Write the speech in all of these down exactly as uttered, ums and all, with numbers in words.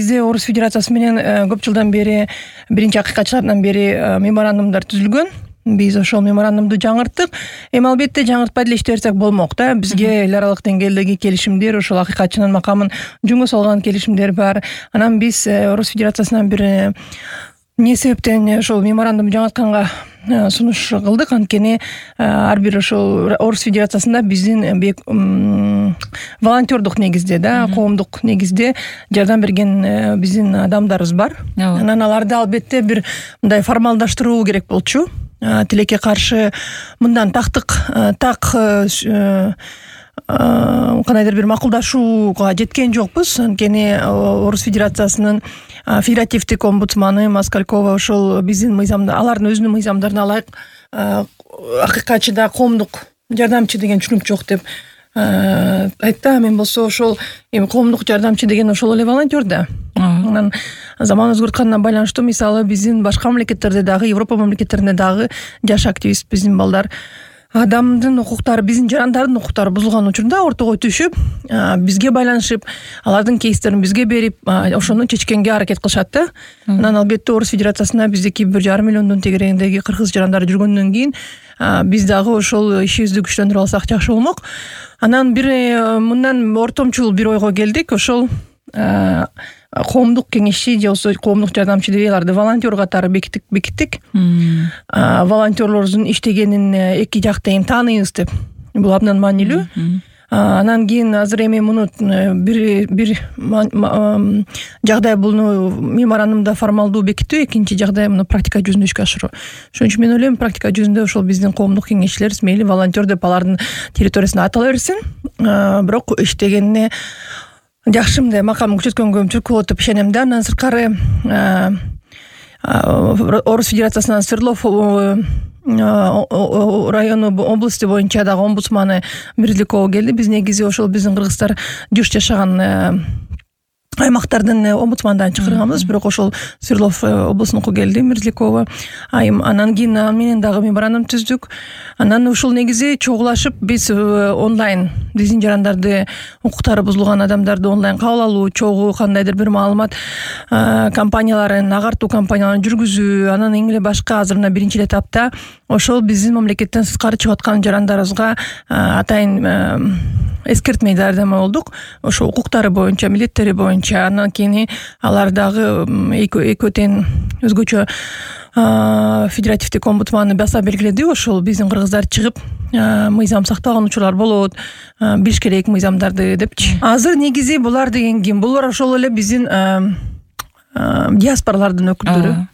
бизде Орус Федерациясы менен көп жылдан бери, биринчи акыйкатчылардан бери меморандумдар түзүлгөн. Биз ошол меморандумду жаңырттык. Эми албетте жаңыртпай деле иште берсек болмок да. Бизге эл аралык деңгээлдеги келишимдер, ошол акыйкатчынын макамын жөнгө салган келишимдер бар. Анан биз Орус Федерациясынан бир эмне себептен ошол меморандум жаңыртканга сунуш кылдык. Анткени ар бир ошол Орус Федерациясында биздин волонтердук негизде да, коомдук негизде жардам берген биздин адамдарыбыз бар. Анан аларды албетте бир мындай формалдаштыруу керек болчу. Тилекке каршы мындан тактык так кандайдыр бир макулдашууга жеткен жокпуз. Анткени Орус Федерациясынын федеративдик омбудсманы Москалькова ошол биздин мыйзамда, алардын өзүнүн мыйзамдарына ылайык акыйкатчыда коомдук жардамчы деген түшүнүк жок деп айтты. Мен болсо ошол эми коомдук жардамчы деген ошол эле волонтер да. Анан заман өзгөрткөнүнө байланыштуу мисалы биздин башка мамлекеттерде дагы, Европа мамлекеттеринде дагы жаш активист биздин балдар адамдын укуктары, биздин жарандардын укуктары бузулган учурда ортого түшүп, бизге байланышып, алардын кейстерин бизге берип, ошону чечкенге аракет кылышат да. Анан албетте Орус Федерациясында биздики бир жарым миллиондун тегерегиндеги кыргыз жарандары жүргөндөн кийин биз дагы ошол ишибизди күчтөндүрүп алсак жакшы болмок. Анан бир мындан ортомчул бир ойго келдик. Ошол коомдук кеңешчи же болбосо коомдук жардамчы деп аларды волонтер катары бекиттик бекиттик. Волонтерлордун иштегенин эки жакта эми тааныйбыз деп. Бул абдан маанилүү. Анан кийин азыр эми муну бир бир жагдай буну меморандумда формалдуу бекитүү, экинчи жагдай муну практика жүзүндө ишке ашыруу. Ошон үчүн мен ойлойм, практика жүзүндө ошол биздин коомдук кеңешчилер мейли волонтер деп алардын территориясында атала берсин, бирок иштегенине жакшы мындай макам күчөткөнгө түрткү болот деп ишенем да. Андан сырткары Орус Федерациясынан Свердлов району области боюнча дагы омбудсманы Мерзлякова келди. Биз негизи ошол биздин кыргыздар жыш жашаган аймактардын омбудсмандан чакырганбыз, бирок ошол Свердлов областыныкы келди, Мерзлякова айым. Анан кийин менен дагы меморандум түздүк. Анан ушул негизи чогулашып биз онлайн биздин жарандарды, укуктары бузулган адамдарды онлайн кабыл алуу, чогуу кандайдыр бир маалымат компанияларын, агартуу компанияларын жүргүзүү, анан эң эле башка азыр мына биринчи этапта ошол биздин мамлекеттен сырткары чыгып аткан жарандарыбызга атайын эскертме жардамы болдук. Ошо укуктары боюнча, милдеттери боюнча. Андан кийин алар дагы экөө тең өзгөчө федеративдик омбудсманы баса белгиледи. Ошол биздин кыргыздар чыгып мыйзам сактаган учурлар болот, билиш керек мыйзамдарды депчи. Азыр негизи булар деген ким? Булар ошол эле биздин диаспоралардын өкүлдөрү.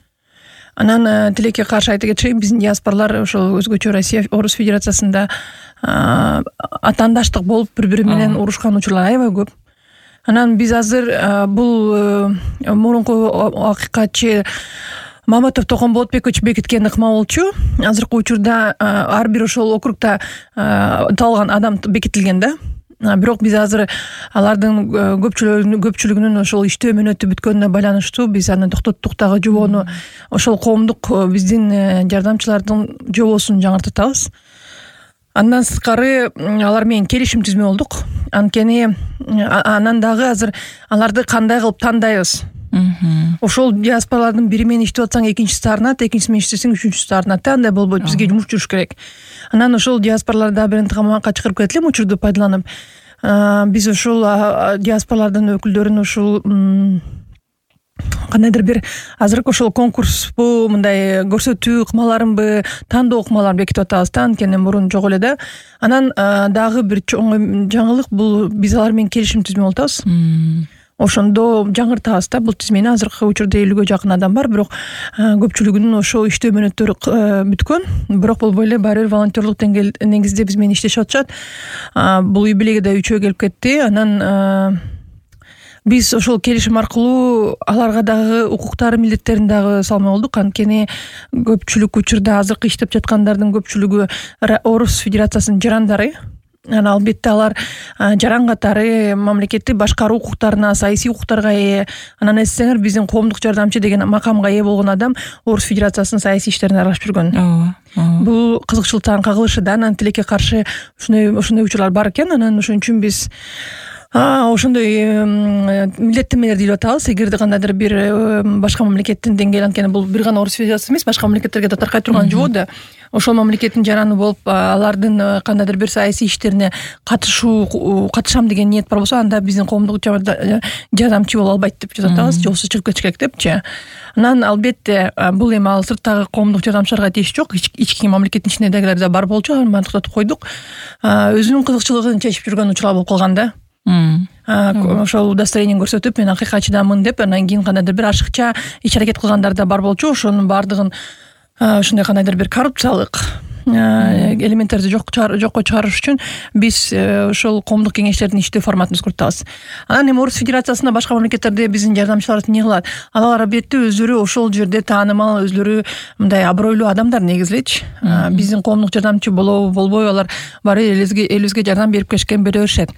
Анан тилекке каршы айта кетейин, биздин диаспоралар ошол өзгөчө Россия, Орус Федерациясында атаандаштык болуп бири-бири менен урушкан учурлар аябай көп. Анан биз азыр бул мурунку акыйкатчы Маматов Токон Болотбекович бекиткен ыкма болчу. Азыркы учурда ар бир ошол округда талган адам бекитилген да. Бирок биз азыр алардын көпчүлүгүнүн ошол иштөө мөөнөтү бүткөнүнө байланыштуу биз аны токтоттук дагы жобону, ошол коомдук биздин жардамчылардын жобосун жаңыртып атабыз. Андан сырткары алар менен келишим түзмө болдук. Анткени анан дагы азыр аларды кандай кылып тандайбыз? Ошол диаспоралардын бири менен иштеп атсаң, экинчиси арнат, экинчиси менен иштесең, үчүнчүсү арнат. Андай болбойт, бизге жумуш жүрүш керек. Анан ошол диаспораларда бир ынтымакка чакырып кетти элем учурду пайдаланып. Биз ошол диаспоралардын өкүлдөрүн ошол кандайдыр бир азыркы ошол конкурспу, мындай көрсөтүү ыкмаларынбы, тандоо ыкмаларын бекитип атабыз да, анткени мурун жок эле да. Анан дагы бир чоң жаңылык, бул биз алар менен келишим түзмө болуп атабыз. Ошондо жаңыртабыз да. Бул тизмени азыркы учурда элүүгө жакын адам бар, бирок көпчүлүгүнүн ошо иштөө мөөнөттөрү бүткөн. Бирок болбой эле баары бир волонтерлук негизде биз менен иштешип атышат. Бул үй белеги да үчөө келип кетти. Анан биз ошол келишим аркылуу аларга дагы укуктары, милдеттерин дагы салмай болдук. Анткени көпчүлүк учурда азыркы иштеп жаткандардын көпчүлүгү Орус Федерациясынын жарандары. Анан албетте алар жаран катары мамлекетти башкаруу укуктарына, саясий укуктарга ээ. Анан эсеңер, биздин коомдук жардамчы деген макамга ээ болгон адам Орус Федерациясынын саясий иштерине аралашып жүргөн. Бул кызыкчылыктан кагылышы да. Анан тилекке каршы ушундай ушундай учурлар бар экен. Анан ошон үчүн биз ошондой милдеттенмелер деп атабыз. Эгерде кандайдыр бир башка мамлекеттин деңгээли, анткени бул бир гана Орус Федерациясы эмес, башка мамлекеттерге да таркай турган жоо да. Ошол мамлекеттин жараны болуп, алардын кандайдыр бир саясий иштерине катышуу, катышам деген ниет бар болсо, анда биздин коомдук жардамчы боло албайт деп жазып атабыз. Жоксу чыгып кетиш керек депчи. Анан албетте бул эми ал сырттагы коомдук жардамчыларга тийиш жок. Ички мамлекеттин ичиндегилер да бар болчу, аны токтотуп койдук. Өзүнүн кызыкчылыгын чечип жүргөн учурлар болуп калган да. Ошол удостоверение көрсөтүп, мен акыйкатчыдамын деп, анан кийин кандайдыр бир ашыкча иш аракет кылгандар да бар болчу. Ошонун баардыгын ушундай кандайдыр бир коррупциялык элементтерди жокко чыгарыш үчүн биз ошол коомдук кеңештердин иштөө форматын өзгөртөбүз. Анан эми Орус Федерациясында башка мамлекеттерде биздин жардамчылар эмне кылат? Алар албетте өздөрү ошол жерде таанымал, өзлөрү мындай абройлуу адамдар негизи элечи. Биздин коомдук жардамчы болобу, болбойбу, алар баары элибизге жардам берип келишкен бере беришет.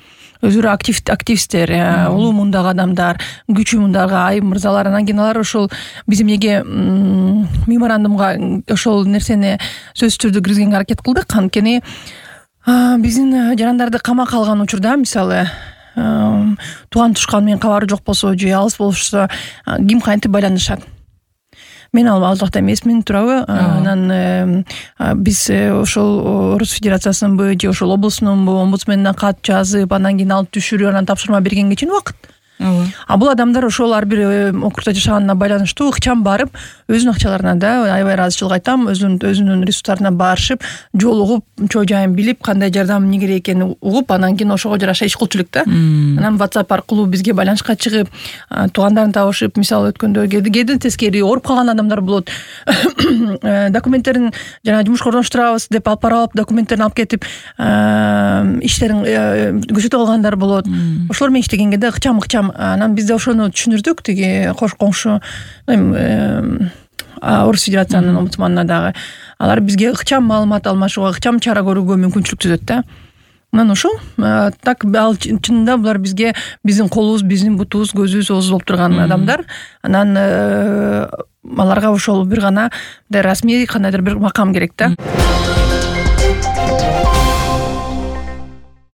Өзүрө активисттер, улуу мундагы адамдар, күчү мундагы айым мырзалар, анан кийин алар ошол биз эмнеге меморандумга ошол нерсени сөзсүз түрдө киргизгенге аракет кылдык. Анткени биздин жарандарды камакка алган учурда, мисалы, тууган тушкан менен кабары жок болсо же алыс болушса, ким кантип байланышат? Мен ал ал жакта эмесмин, туурабы? Анан биз ошол Орус Федерациясынынбы же ошол облустунунбу омбудсменине кат жазып, анан кийин алып түшүрүп, анан тапшырма бергенге чейин убакыт. А бул адамдар ошол ар бир округда жашаганына байланыштуу ыкчам барып, өзүнүн акчаларына да, аябай ыраазычылык айтам, өзүнүн өзүнүн ресурстарына барышып, жолугуп, чоо жайын билип, кандай жардам эмне керек экенин угуп, анан кийин ошого жараша иш кылчу элек да. Анан WhatsApp аркылуу бизге байланышка чыгып, туугандарын табышып, мисалы өткөндө кээде тескери ооруп калган адамдар болот. Документтерин жана жумушка орноштурабыз деп алып барып, документтерин алып кетип, иштерин көрсөтүп алгандар болот. Ошолор менен иштегенге да ыкчам-ыкчам. Анан биз да ошону түшүндүрдүк, тиги кош коңшу Орус Федерациянын омбудсманына дагы. Алар бизге ыкчам маалымат алмашууга, ыкчам чара көрүүгө мүмкүнчүлүк түзөт да. Анан ошол так ал чынында булар бизге биздин колубуз, биздин бутубуз, көзүбүз, оозубуз болуп турган адамдар. Анан аларга ошол бир гана расмий кандайдыр бир макам керек да.